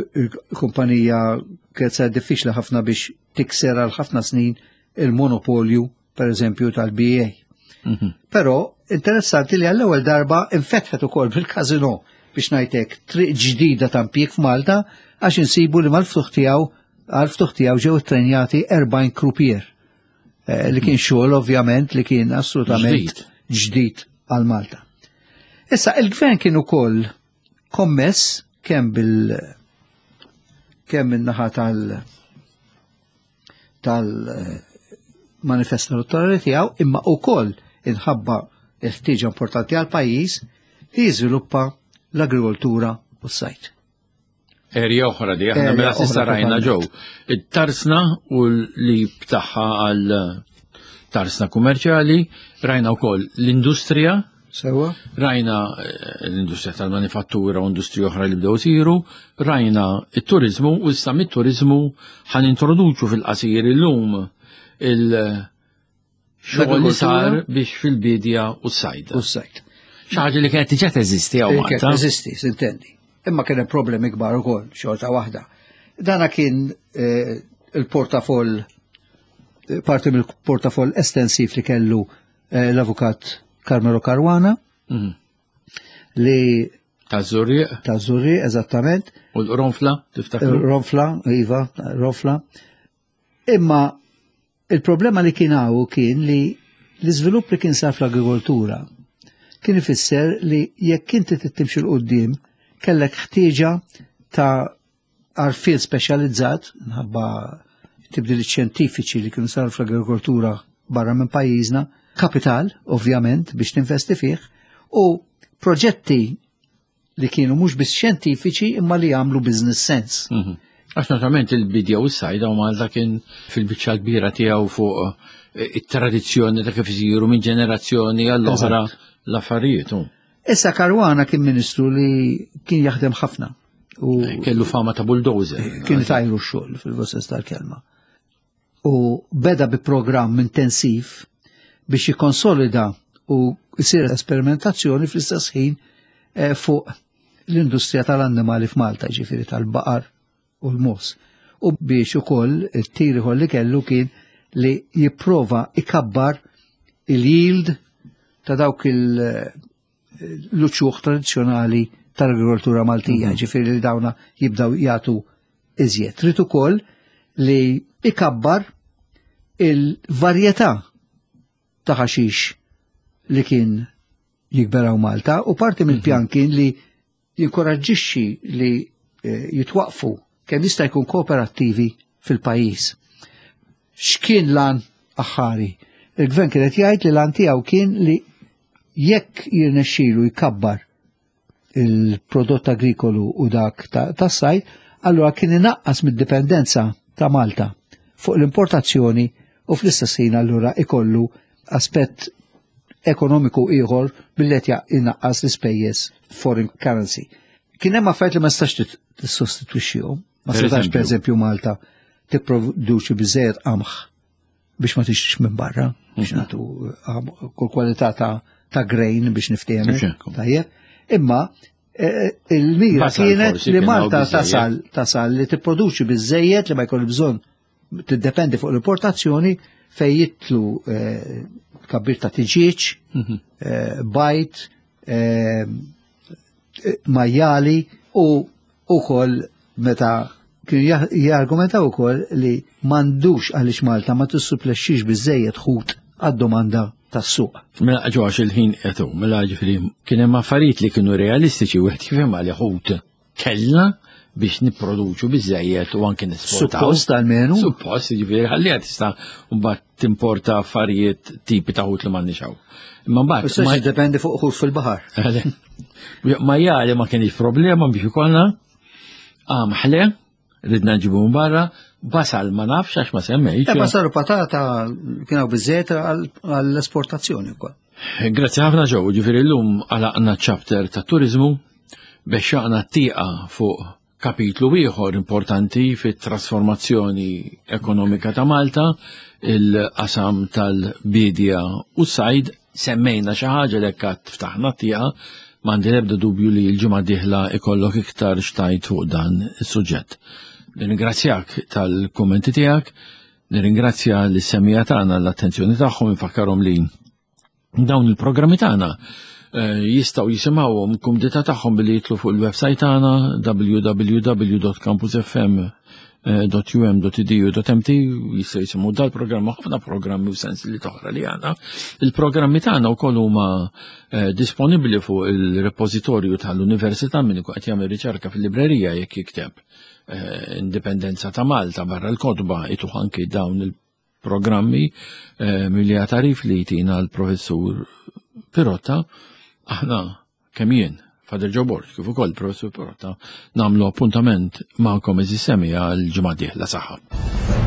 kumpanija kienet sar diffiċli ħafna biex tikser għal ħafna snin il-monopolju, per eżempju, tal-B A. Mhm. Però interessanti li għall-ewwel darba infetħet ukoll bil-kazino, biex ngħidlek, triq ġdida ta' impjieg f'Malta, għax insibu li mal-ftuħ tiegħu għal-ftuħ tiegħu ġew ittrenjati erbgħin croupier. Eh, li kien xogħol ovvjament li kien assolutament ġdid għal Malta. Issa il-gvern kien ukoll kommess kemm bil kemm min-naħa tal tal manifest elettorali tiegħu, imma wkoll inħabba il-ħtieġa importanti għal pajjiż li jiżviluppa l-agrikoltura u s-sajd. Erja oħra di, aħna Erja mela s'issa oħra rajna ġew. It-tarsna u li btaħħa għal tarsna kummerċjali, rajna wkoll l-industrija, Sewa? rajna eh, l-industrija tal-manifattura u industrija oħra li bdew isiru, rajna it-turizmu u issa mit-turizmu ħa nintroduċu fil-qasir illum il-xogħol li sar biex fil-bidja u s-sajd. U s-sajd. Xi ħaġa li kienet diġà teżisti hawn Kienet Malta. teżisti, s'intendi. Imma kien hemm problemi kbar ukoll, xorta waħda. Dana kien eh, il-portafoll, eh, parti mill-portafoll estensiv li kellu eh, l-avukat Carmelo Caruana, Mhm. li Ta' Żurrieq ta' Żurrieq, eżattament, u l-Ronfla, tiftakru? Ronfla, iva, Ronfla. Imma il-problema li kien hawn kien li l-iżvilupp li kien sar fl-agrikoltura kien ifisser li jekk inti timxi 'l quddiem kellek ħtieġa ta' għarfien speċjalizzat minħabba tibdil xjentifiċi li kienu saru fl-agrikoltura barra minn pajjiżna, kapital, ovvjament, biex tinvesti fih, u proġetti li kienu mhux biss xjentifiċi imma li jagħmlu business sense. Mhm. Għax naturalment il-bidja u s-sajd u Malta kien fil-biċċa kbira tiegħu fuq eh, it-tradizzjoni ta' kif isiru minn ġenerazzjoni għall-oħra l-affarijiet. u. Issa Caruana kien ministru li kien jaħdem ħafna u Kellu fama ta' bulldozer. Kien tajru x-xogħol fil-sens tal-kelma. U beda bi programm intensiv biex jikonsolida u jsir esperimentazzjoni fl-istess ħin eh, fuq l-industrija tal-annimali f'Malta, ġifieri tal-baqar u l-mogħoż. U biex ukoll it-tir ieħor li kellu kien li jipprova ikabbar il-yield ta' dawk il- l-uċuħ tradizzjonali tal-agrikoltura Maltija, ġifieri li dawna jibdaw jagħtu iżjed. Trid ukoll li ikabbar il-varjetà ta' ħaxix li kien jikber hawn Malta u parti mill-pjan kien li jinkoraġġixxi li eh, jitwaqfu kemm jista' jkun kooperattivi fil-pajjiż. X'kien l-għan aħħari? Il-gvern kienet jgħid li l-għan tiegħu kien li jekk jirnexxielu jkabbar il-prodott agrikolu u dak ta' tas-sajd, allura kien inaqqas mid-dipendenza ta' Malta fuq l-importazzjoni u fl-istess ħin allura ikollu aspett ekonomiku ieħor billi qed inaqqas l-ispejjeż foreign currency. Kien hemm affarijiet li ma stax tissostitwixxihom. Ma Per setax, eżempju? Per eżempju, Malta tipproduċi biżejjed qamħ biex ma tixtrix minn barra, biex nagħtu qamħ, kull kwalità ta' ta' grain biex niftehmu. Ixekku. Tajjeb. Imma eh, il-mira Basal kienet forsi li kien hawn Malta biżejjed. tasal tasal li tipproduċi biżejjed li ma jkollu bżonn tiddependi fuq l-importazzjoni fej jitlu eh, kabbir ta' tiġieġ, Mhm. eh, bajd, eh, majjali u ukoll meta kienu jah- jargumentaw ukoll li m'għandux għaliex Malta ma tissupplexxix biżejjed ħut għad-domanda tas-suq. Mela ġo għax il-ħin qed, mela ġifieri kien hemm affarijiet li kienu realistiċi, wieħed jifhem li ħut kellna biex nipproduċu biżejjed u anke nesportaw. Suppost almenu. Suppost, ġifieri ħalliha tista' mbagħad timporta affarijiet tipi ta' ħut li m'għandniex hawn. Imma mbagħad Issa ma- jiddependi fuq ħut fil-baħar. Majjali ma kienx problema biex ikollna, qamħ le, ridna nġibu minn barra, basal ma nafx għax ma semmejx. E basal u patata kienu biżejjed għall-esportazzjoni wkoll. Grazzi ħafna ġew, ġifieri llum għalaqna chapter ta' turizmu, bexxaqna tieqa fuq kapitlu ieħor importanti fit-trasformazzjoni ekonomika ta' Malta, il-qasam tal-bidja u s-sajd, semmejna xi ħaġa li kat ftaħna tieqa, m'għandi l-ebda dubju li l-ġimgħa dieħla ikollok iktar x'tgħid fuq dan is-suġġett. Nirringrazzjak tal-kummenti tiegħek, nirringrazzja lis-semmiegħa tagħna l-attenzjoni tagħhom, infakkarhom li dawn il-programmi tagħna eh, jistgħu jisimgħuhom kumdità tagħhom billi jidħlu fuq il-website tagħna w w w punt campusfm punt u m punt e d u punt m t, jistgħu jisimgħu dal-programm, ħafna programmi u sensiela oħra li għandna. Il-programmi tagħna wkoll huma eh, disponibbli fuq il-repożitorju tal-Università, min ikun qed jagħmel riċerka fil-librerija, jekk jikteb eh, Indipendenza ta' Malta barra l-kotba ituh anki dawn il-programmi eh, milli tarif li jtina l-professur Pirotta. Aħna kemm jien, Father Joe Borg, kif ukoll professur Pirotta, nagħmlu appuntament magħkom, għeżież semmiegħa, l-ġimgħa dieħla. Saħħa.